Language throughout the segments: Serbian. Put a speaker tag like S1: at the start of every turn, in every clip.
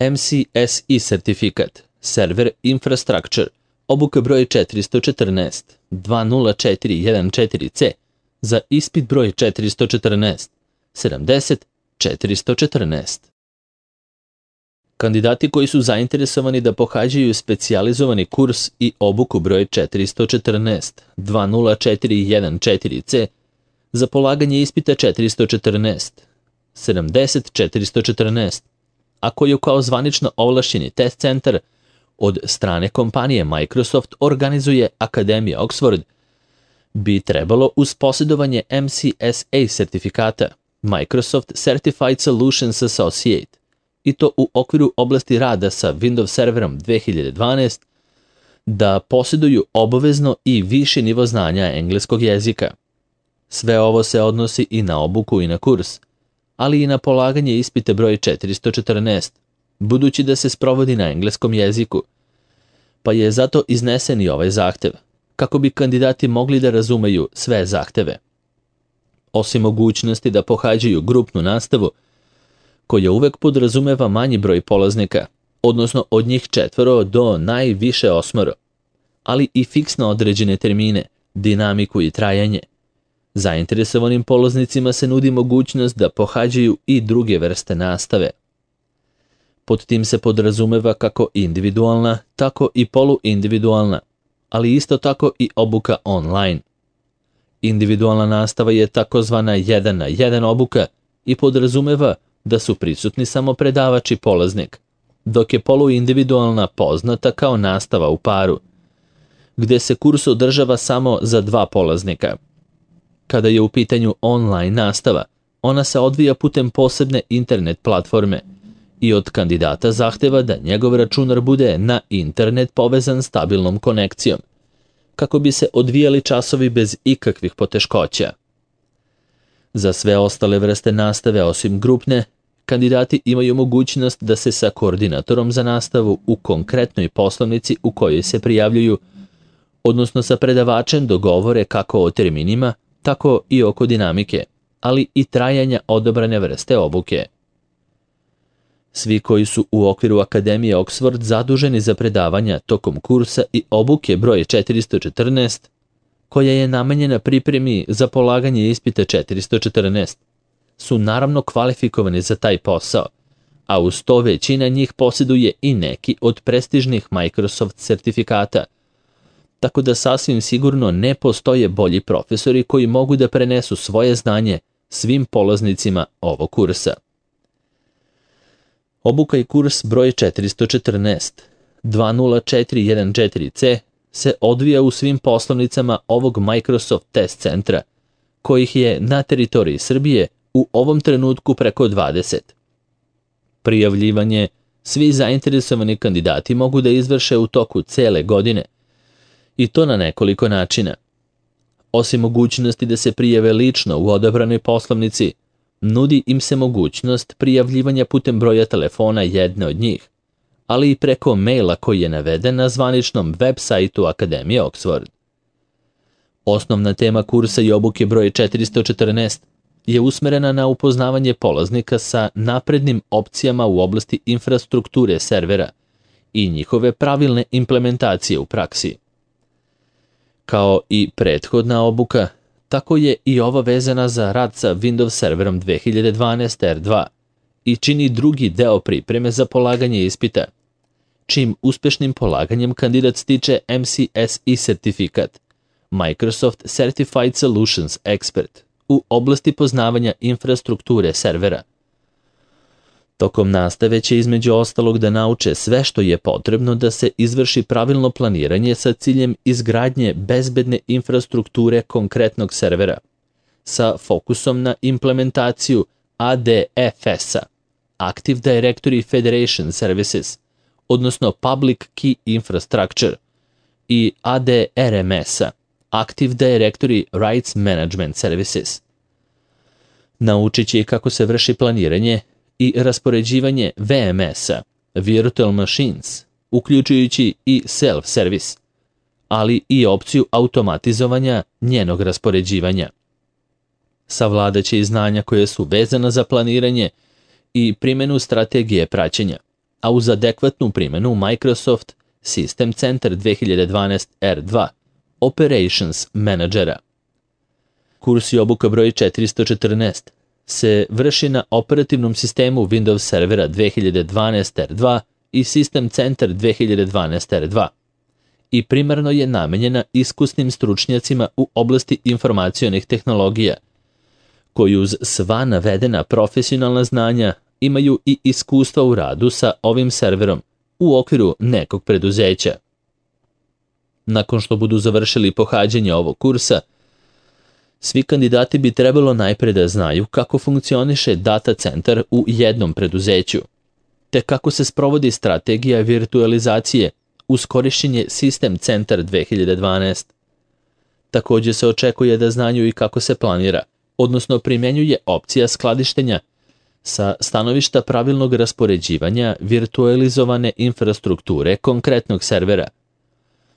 S1: MCSE sertifikat, server infrastructure, obuka broj 414, 20414C, za ispit broj 414, 70 414. Kandidati koji su zainteresovani da pohađaju specijalizovani kurs i obuku broj 414, 20414C, za polaganje ispita 414, 70 414, a koju kao zvanično ovlašćeni test centar od strane kompanije Microsoft organizuje Akademija Oxford, bi trebalo uz posjedovanje MCSA sertifikata Microsoft Certified Solutions Associate i to u okviru oblasti rada sa Windows Serverom 2012 da posjeduju obavezno i više nivo znanja engleskog jezika. Sve ovo se odnosi i na obuku i na kurs, ali i na polaganje ispita broj 414, budući da se sprovodi na engleskom jeziku, pa je zato iznesen i ovaj zahtev, kako bi kandidati mogli da razumeju sve zahteve. Osim mogućnosti da pohađaju grupnu nastavu, koja uvek podrazumeva manji broj polaznika, odnosno od njih 4 do najviše 8, ali i fiksno određene termine, dinamiku i trajanje. Zainteresovanim polaznicima se nudi mogućnost da pohađaju i druge vrste nastave. Pod tim se podrazumeva kako individualna, tako i poluindividualna, ali isto tako i obuka online. Individualna nastava je takozvana 1-na-1 obuka i podrazumeva da su prisutni samo predavač i polaznik, dok je poluindividualna poznata kao nastava u paru, gde se kurs održava samo za 2 polaznika. Kada je u pitanju online nastava, ona se odvija putem posebne internet platforme i od kandidata zahteva da njegov računar bude na internet povezan stabilnom konekcijom, kako bi se odvijali časovi bez ikakvih poteškoća. Za sve ostale vrste nastave osim grupne, kandidati imaju mogućnost da se sa koordinatorom za nastavu u konkretnoj poslovnici u kojoj se prijavljuju, odnosno sa predavačem dogovore kako o terminima, tako i oko dinamike, ali i trajanja odabrane vrste obuke. Svi koji su u okviru Akademije Oxford zaduženi za predavanja tokom kursa i obuke broj 414, koja je namenjena pripremi za polaganje ispita 414, su naravno kvalifikovani za taj posao, a uz to većina njih posjeduje i neki od prestižnih Microsoft sertifikata, tako da sasvim sigurno ne postoje bolji profesori koji mogu da prenesu svoje znanje svim polaznicima ovog kursa. Obuka i kurs broj 414, 20414C, se odvija u svim poslovnicama ovog Microsoft test centra, kojih je na teritoriji Srbije u ovom trenutku preko 20. Prijavljivanje svi zainteresovani kandidati mogu da izvrše u toku cele godine, i to na nekoliko načina. Osim mogućnosti da se prijave lično u odabranoj poslovnici, nudi im se mogućnost prijavljivanja putem broja telefona jedne od njih, ali i preko maila koji je naveden na zvaničnom web sajtu Akademije Oxford. Osnovna tema kursa i obuke broj 414 je usmerena na upoznavanje polaznika sa naprednim opcijama u oblasti infrastrukture servera i njihove pravilne implementacije u praksi. Kao i prethodna obuka, tako je i ova vezana za rad sa Windows Serverom 2012 R2 i čini drugi deo pripreme za polaganje ispita, čim uspešnim polaganjem kandidat stiče MCSE sertifikat, Microsoft Certified Solutions Expert, u oblasti poznavanja infrastrukture servera. Tokom nastave će između ostalog da nauče sve što je potrebno da se izvrši pravilno planiranje sa ciljem izgradnje bezbedne infrastrukture konkretnog servera, sa fokusom na implementaciju ADFS-a, Active Directory Federation Services, odnosno Public Key Infrastructure, i ADRMS-a, Active Directory Rights Management Services. Naučit će kako se vrši planiranje i raspoređivanje VMS-a, Virtual Machines, uključujući i Self-Service, ali i opciju automatizovanja njenog raspoređivanja. Savladaće i znanja koje su vezana za planiranje i primjenu strategije praćenja, a uz adekvatnu primjenu Microsoft System Center 2012 R2 Operations Managera. Kurs i obuka broj 414 se vrši na operativnom sistemu Windows Servera 2012 R2 i System Center 2012 R2 i primarno je namenjena iskusnim stručnjacima u oblasti informacionih tehnologija, koji uz sva navedena profesionalna znanja imaju i iskustva u radu sa ovim serverom u okviru nekog preduzeća. Nakon što budu završili pohađanje ovog kursa, svi kandidati bi trebalo najpre da znaju kako funkcioniše data centar u jednom preduzeću, te kako se sprovodi strategija virtualizacije uz korišćenje System Center 2012. Također se očekuje da znaju i kako se planira, odnosno primjenjuje opcija skladištenja sa stanovišta pravilnog raspoređivanja virtualizovane infrastrukture konkretnog servera.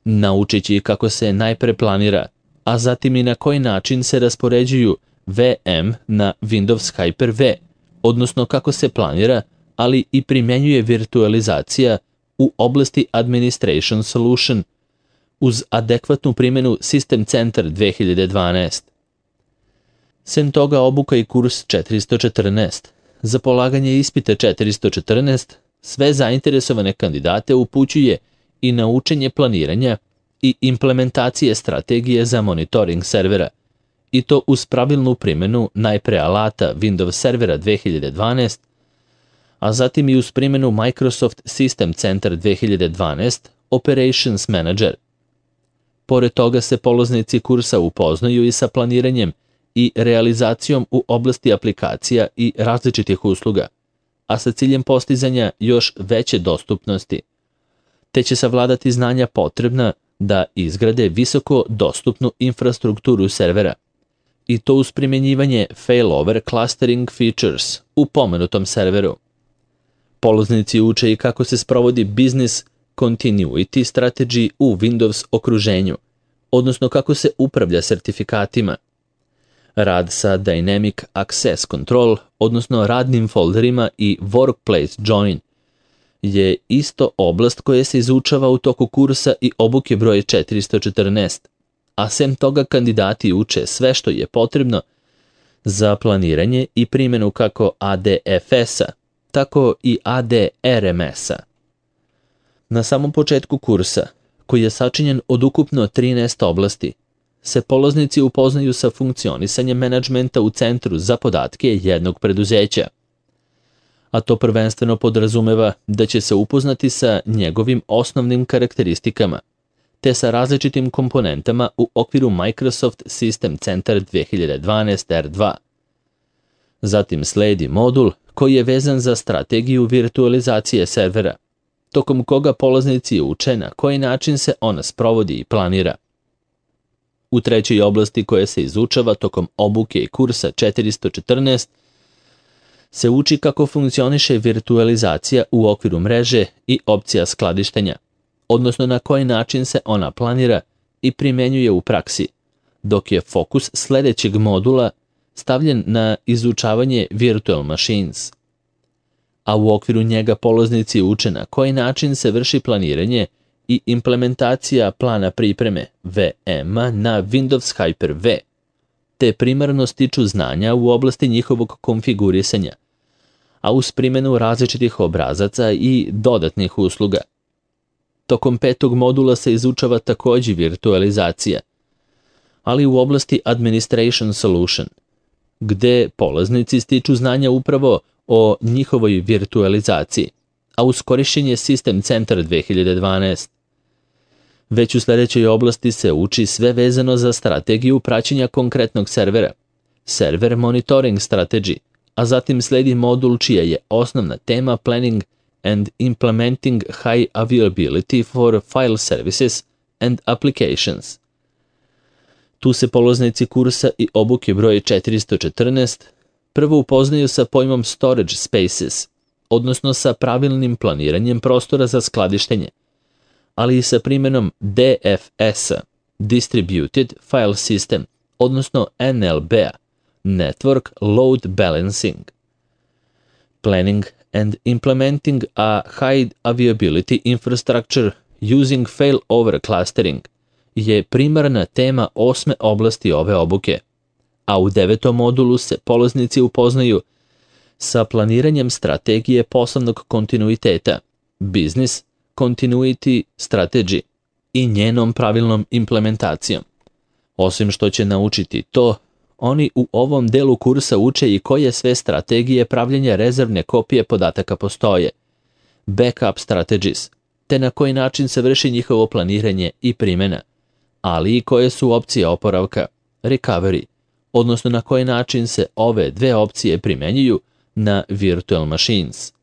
S1: Naučići kako se najpre planira, a zatim i na koji način se raspoređuju VM na Windows Hyper-V, odnosno kako se planira, ali i primjenjuje virtualizacija u oblasti Administration Solution uz adekvatnu primjenu System Center 2012. Sem toga obuka i kurs 414. Za polaganje ispita 414 sve zainteresovane kandidate upućuje i na učenje planiranja i implementacije strategije za monitoring servera, i to uz pravilnu primjenu najpre alata Windows Servera 2012, a zatim i uz primjenu Microsoft System Center 2012 Operations Manager. Pored toga se polaznici kursa upoznaju i sa planiranjem i realizacijom u oblasti aplikacija i različitih usluga, a sa ciljem postizanja još veće dostupnosti, te će savladati znanja potrebna da izgrade visoko dostupnu infrastrukturu servera, i to uz primjenjivanje failover clustering features u pomenutom serveru. Polaznici uče i kako se sprovodi business continuity strategy u Windows okruženju, odnosno kako se upravlja sertifikatima. Rad sa Dynamic Access Control, odnosno radnim folderima i Workplace Join, je isto oblast koja se izučava u toku kursa i obuke broj 414, a sem toga kandidati uče sve što je potrebno za planiranje i primjenu kako ADFS-a, tako i ADRMS-a. Na samom početku kursa, koji je sačinjen od ukupno 13 oblasti, se polaznici upoznaju sa funkcionisanjem menadžmenta u centru za podatke jednog preduzeća, a to prvenstveno podrazumeva da će se upoznati sa njegovim osnovnim karakteristikama, te sa različitim komponentama u okviru Microsoft System Center 2012 R2. Zatim sledi modul koji je vezan za strategiju virtualizacije servera, tokom koga polaznici uče na koji način se ona sprovodi i planira. U trećoj oblasti koja se izučava tokom obuke i kursa 414 se uči kako funkcioniše virtualizacija u okviru mreže i opcija skladištenja, odnosno na koji način se ona planira i primjenjuje u praksi, dok je fokus sljedećeg modula stavljen na izučavanje virtual machines. A u okviru njega polaznici uče na koji način se vrši planiranje i implementacija plana pripreme VM-a na Windows Hyper-V, te primarno stiču znanja u oblasti njihovog konfigurisanja, a uz primjenu različitih obrazaca i dodatnih usluga. Tokom petog modula se izučava također virtualizacija, ali u oblasti Administration Solution, gde polaznici stiču znanja upravo o njihovoj virtualizaciji, a uz korišćenje System Center 2012. Već u sljedećoj oblasti se uči sve vezano za strategiju praćenja konkretnog servera, Server Monitoring Strategy, a zatim sledi modul čija je osnovna tema Planning and Implementing High Availability for File Services and Applications. Tu se polaznici kursa i obuke broj 414 prvo upoznaju sa pojmom Storage Spaces, odnosno sa pravilnim planiranjem prostora za skladištenje, ali i sa primjenom DFS-a, Distributed File System, odnosno NLB-a, Network Load Balancing. Planning and implementing a high availability infrastructure using failover clustering je primarna tema 8. oblasti ove obuke, a u 9. modulu se polaznici upoznaju sa planiranjem strategije poslovnog kontinuiteta, business continuity strategy, i njenom pravilnom implementacijom. Osim što će naučiti to, oni u ovom delu kursa uče i koje sve strategije pravljenja rezervne kopije podataka postoje, backup strategies, te na koji način se vrši njihovo planiranje i primjena, ali i koje su opcije oporavka, recovery, odnosno na koji način se ove dve opcije primenjuju na virtual machines.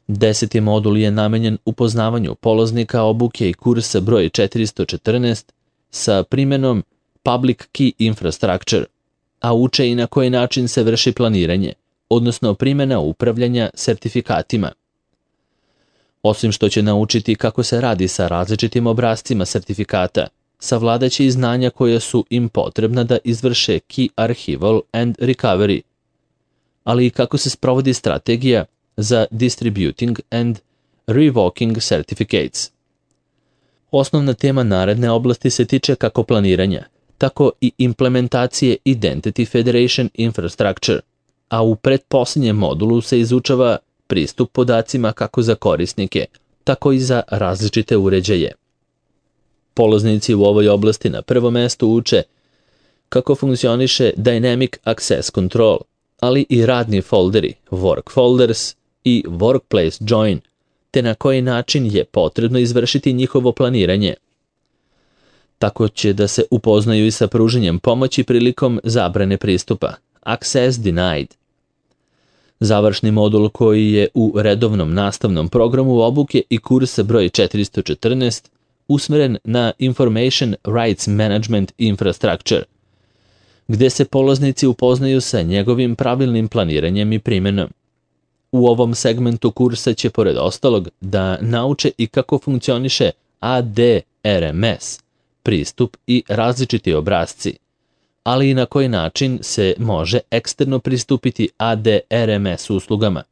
S1: 10. modul je namenjen upoznavanju polaznika obuke i kursa broj 414 sa primjenom public key infrastructure, a uče i na koji način se vrši planiranje, odnosno primjena upravljanja sertifikatima. Osim što će naučiti kako se radi sa različitim obrascima sertifikata, savladaće i znanja koja su im potrebna da izvrše key archival and recovery, ali i kako se sprovodi strategija za distributing and revoking certificates. Osnovna tema naredne oblasti se tiče kako planiranja, tako i implementacije Identity Federation Infrastructure, a u pretposljednjem modulu se izučava pristup podacima kako za korisnike, tako i za različite uređaje. Polaznici u ovoj oblasti na prvom mestu uče kako funkcioniše Dynamic Access Control, ali i radni folderi, work folders i workplace join, te na koji način je potrebno izvršiti njihovo planiranje. Tako će da se upoznaju i sa pruženjem pomoći prilikom zabrane pristupa, access denied. Završni modul koji je u redovnom nastavnom programu obuke i kursa broj 414 usmeren na Information Rights Management Infrastructure, gde se polaznici upoznaju sa njegovim pravilnim planiranjem i primjenom. U ovom segmentu kursa će, pored ostalog, da nauče i kako funkcioniše ADRMS, pristup i različiti obrasci, ali i na koji način se može eksterno pristupiti ADRMS uslugama.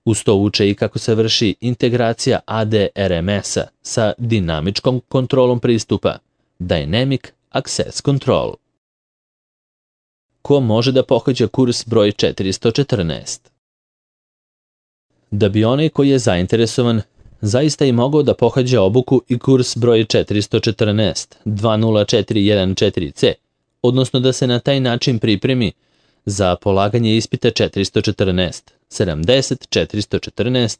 S1: Uz to uče i kako se vrši integracija ADRMS-a sa dinamičkom kontrolom pristupa, Dynamic Access Control. Ko može da pohađa kurs broj 414? Da bi onaj koji je zainteresovan zaista i mogao da pohađa obuku i kurs broj 414 20414C, odnosno da se na taj način pripremi za polaganje ispita 414 70414,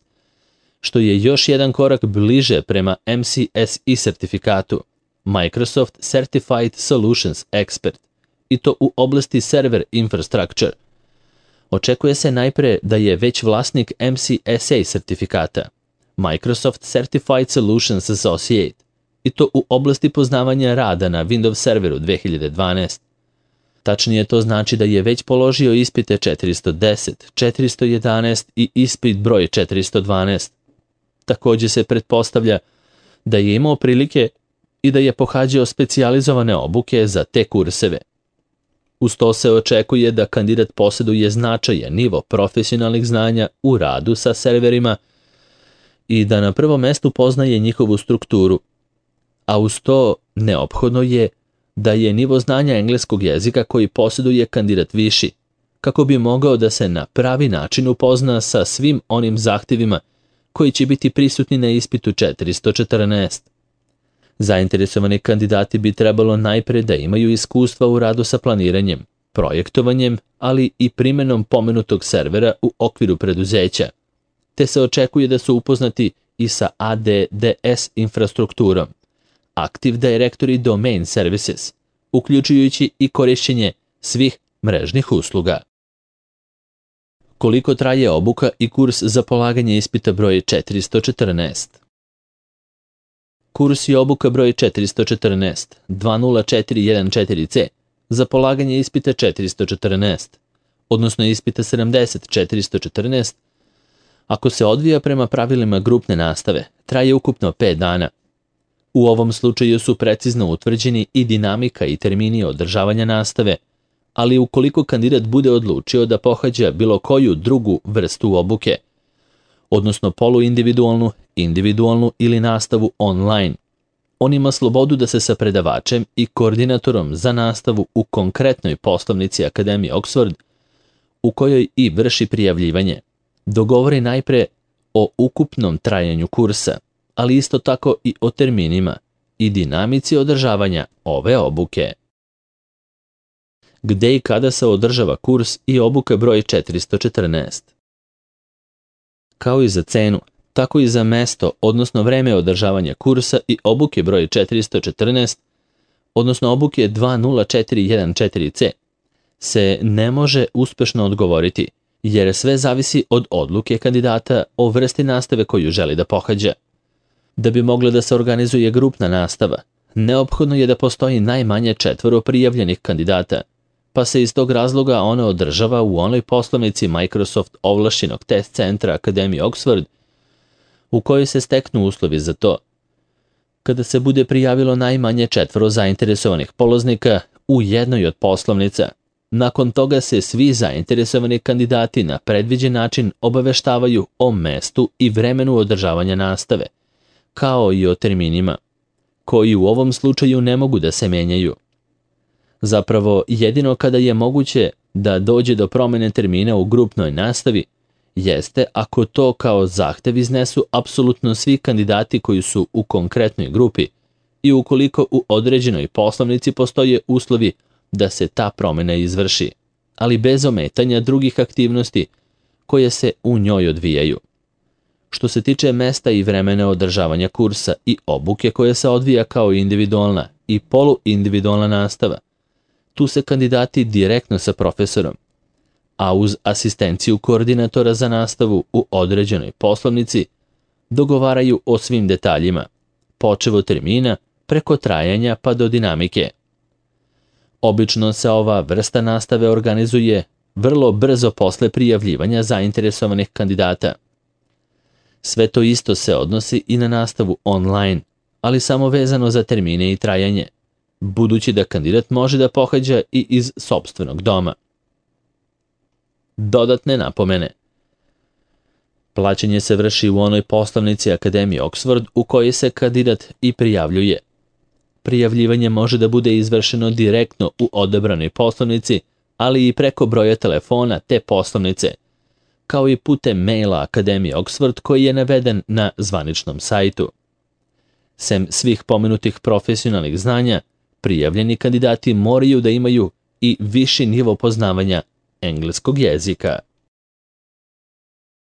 S1: što je još jedan korak bliže prema MCSE sertifikatu, Microsoft Certified Solutions Expert, i to u oblasti server infrastructure. Očekuje se najpre da je već vlasnik MCSA sertifikata, Microsoft Certified Solutions Associate, i to u oblasti poznavanja rada na Windows serveru 2012. Tačnije to znači da je već položio ispite 410, 411 i ispit broj 412. Također se pretpostavlja da je imao prilike i da je pohađao specijalizovane obuke za te kurseve. Uz to se očekuje da kandidat posjeduje značajan nivo profesionalnih znanja u radu sa serverima i da na prvom mestu poznaje njihovu strukturu, a uz to neophodno je da je nivo znanja engleskog jezika koji posjeduje kandidat viši, kako bi mogao da se na pravi način upozna sa svim onim zahtjevima koji će biti prisutni na ispitu 414. Zainteresovani kandidati bi trebalo najpre da imaju iskustva u radu sa planiranjem, projektovanjem, ali i primjenom pomenutog servera u okviru preduzeća, te se očekuje da su upoznati i sa ADDS infrastrukturom, Active Directory Domain Services, uključujući i korišćenje svih mrežnih usluga. Koliko traje obuka i kurs za polaganje ispita broj 414? Kurs i obuka broj 414 20414C za polaganje ispita 414, odnosno ispita 70-414, ako se odvija prema pravilima grupne nastave, traje ukupno 5 dana. U ovom slučaju su precizno utvrđeni i dinamika i termini održavanja nastave, ali ukoliko kandidat bude odlučio da pohađa bilo koju drugu vrstu obuke, odnosno poluindividualnu, individualnu ili nastavu online, on ima slobodu da se sa predavačem i koordinatorom za nastavu u konkretnoj poslovnici Akademije Oxford, u kojoj i vrši prijavljivanje, dogovori najpre o ukupnom trajanju kursa, ali isto tako i o terminima i dinamici održavanja ove obuke. Gde i kada se održava kurs i obuka broj 414? Kao i za cenu, tako i za mesto, odnosno vreme održavanja kursa i obuke broj 414, odnosno obuke 20414C, se ne može uspešno odgovoriti, jer sve zavisi od odluke kandidata o vrsti nastave koju želi da pohađa. Da bi mogla da se organizuje grupna nastava, neophodno je da postoji najmanje 4 prijavljenih kandidata, pa se iz tog razloga ona održava u onoj poslovnici Microsoft ovlašćenog test centra Akademije Oxford, u kojoj se steknu uslovi za to. Kada se bude prijavilo najmanje 4 zainteresovanih polaznika u jednoj od poslovnica, nakon toga se svi zainteresovani kandidati na predviđen način obaveštavaju o mestu i vremenu održavanja nastave, kao i o terminima, koji u ovom slučaju ne mogu da se menjaju. Zapravo, jedino kada je moguće da dođe do promene termina u grupnoj nastavi, jeste ako to kao zahtev iznesu apsolutno svi kandidati koji su u konkretnoj grupi i ukoliko u određenoj poslovnici postoje uslovi da se ta promena izvrši, ali bez ometanja drugih aktivnosti koje se u njoj odvijaju. Što se tiče mesta i vremena održavanja kursa i obuke koja se odvija kao individualna i poluindividualna nastava, tu se kandidati direktno sa profesorom, a uz asistenciju koordinatora za nastavu u određenoj poslovnici, dogovaraju o svim detaljima, počev od termina, preko trajanja pa do dinamike. Obično se ova vrsta nastave organizuje vrlo brzo posle prijavljivanja zainteresovanih kandidata. Sve to isto se odnosi i na nastavu online, ali samo vezano za termine i trajanje, budući da kandidat može da pohađa i iz sopstvenog doma. Dodatne napomene. Plaćanje se vrši u onoj poslovnici Akademije Oxford u kojoj se kandidat i prijavljuje. Prijavljivanje može da bude izvršeno direktno u odabranoj poslovnici, ali i preko broja telefona te poslovnice, kao i putem maila Akademije Oxford koji je naveden na zvaničnom sajtu. Sem svih pomenutih profesionalnih znanja, prijavljeni kandidati moraju da imaju i viši nivo poznavanja engleskog jezika.